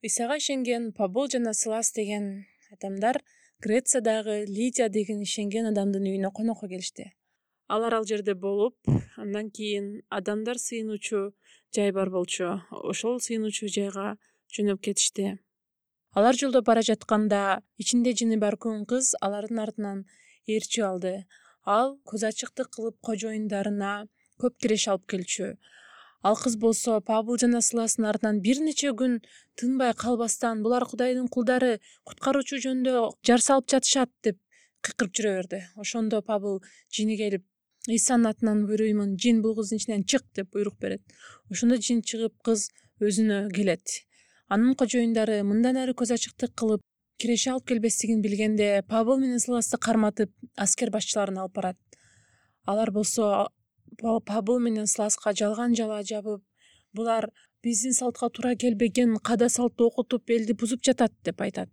Исага ишенген Пабыл жана Силас деген адамдар Грециядагы Лидия деген ишенген адамдын үйүнө конокко келишти. Алар ал жерде болуп, андан кийин адамдар сыйынуучу жай бар болчу. Ошол сыйынуучу жайга жөнөп кетишти. Алар жолдо бара жатканда ичинде жини бар күн кыз алардын артынан ээрчип алды. Ал көз ачыктык кылып кожоюндарына көп киреш алып келчү. Ал кыз болсо Пабыл жана Силастын артынан бир нече күн тынбай калбастан булар Кудайдын кулдары, куткаруучу жөнүндө жар салып жатышат деп кыйкырып жүрө берди. Ошондо Пабыл жини келип, Исанын атынан буйруймун, жин бул кыздын ичинен чык деп буйрук берет. Ошондо жин чыгып кыз өзүнө келет. Анын кожоюндары мындан ары көз ачыктык кылып киреше алып келбестигин билгенде Пабыл менен Силасты карматып аскер башчыларына алып барат. Алар болсо Пабыл менен Силаска жалган жала жабып, булар биздин салтка туура келбеген када салтты окутуп элди бузуп жатат деп айтат.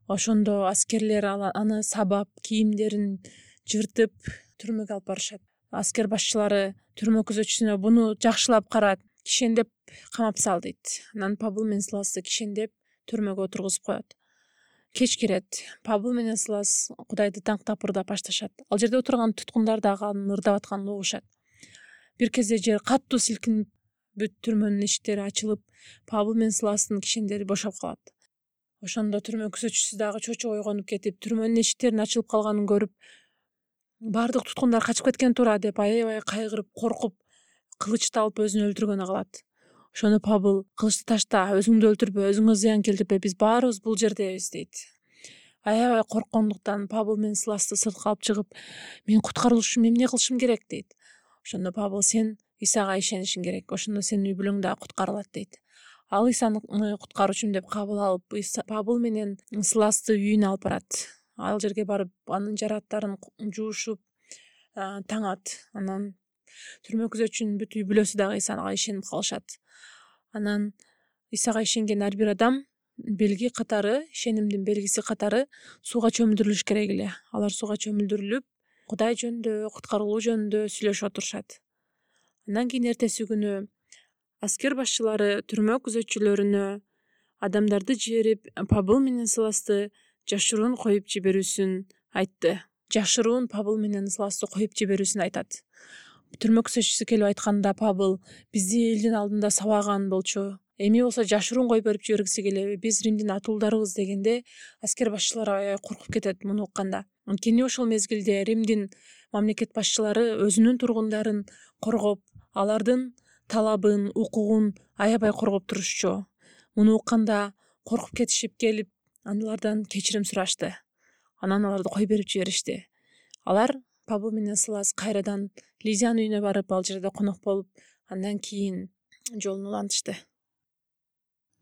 Ошондо аскерлер аны сабап, кийимдерин жыртып түрмөгө алып барышат. Аскер башчылары түрмө күзөтчүсүнө буну жакшылап карат, кишендеп камап сал дейт. Анан Пабыл менен Силасты кишендеп түрмөгө отургузуп коет. Кеч кирет. Пабыл менен Силас Кудайды таңктап ырдап башташат. Ал жерде отурган туткундар дагы анын ырдап атканын угушат. Бир кезде жер катуу силкинип, бүт түрмөнүн эшиктери ачылып, Пабыл менен Силастын кишендери бошоп калат. Ошондо түрмө күзөтчүсү дагы чочуп ойгонуп кетип, түрмөнүн эшиктеринин ачылып калганын көрүп, баардык туткундар качып кеткен туура деп аябай кайгырып, коркуп, кылычты алып өзүн өлтүргөнү калат. Ошондо Пабыл кылычты ташта, өзүңдү өлтүрбө, өзүңө зыян келтирбе, биз баарыбыз бул жердебиз дейт. Аябай корккондуктан Пабыл менен Силасты сыртка алып чыгып, мен куткарылышым, эмне кылышым керек дейт. Ошондо Пабыл сен Исага ишенишиң керек, ошондо сенин үй бүлөң дагы куткарылат дейт. Ал Исаны куткаруучум деп кабыл алып, Пабыл менен Силасты үйүнө алып барат. Ал жерге барып, анын жараттарын жуушуп, таңат. Анан түрмө күзөтчүнүн бүт үй бүлөсү дагы Исага ишенип калышат. Анан Исага ишенген ар бир адам белги катары, ишенимдин белгиси катары сууга чөмүлдүрүлүш керек эле. Алар сууга чөмүлдүрүлүп, Кудай жөнүндө, куткарылуу жөнүндө сүйлөшүп отурушат. Андан кийин эртеси күнү аскер башчылары түрмө күзөтчүлөрүнө адамдарды жиберип, Пабыл менен Силасты жашыруун коюп жиберүүсүн айтты. Жашыруун Пабыл менен Силасты коюп жиберүүсүн айтат. Түрмө күзөтчүсү келип айтканда Пабыл бизди элдин алдында сабаган болчу. Эми болсо жашыруун коюп берип жибергиси келеби? Биз Римдин атуулдарыбыз дегенде, аскер башчылары аябай коркуп кетет муну укканда. Анткени ошол мезгилде Римдин мамлекет башчылары өзүнүн тургундарын коргоп, алардын талабын, укугун аябай коргоп турушчу. Муну укканда коркуп кетишип келип, алардан кечирим сурашты. Анан аларды коюп берип жиберишти. Алар Пабыл менен Силас кайрадан Лидиянын үйүнө барып, ал жерде конок болуп, андан кийин жолун улантышты.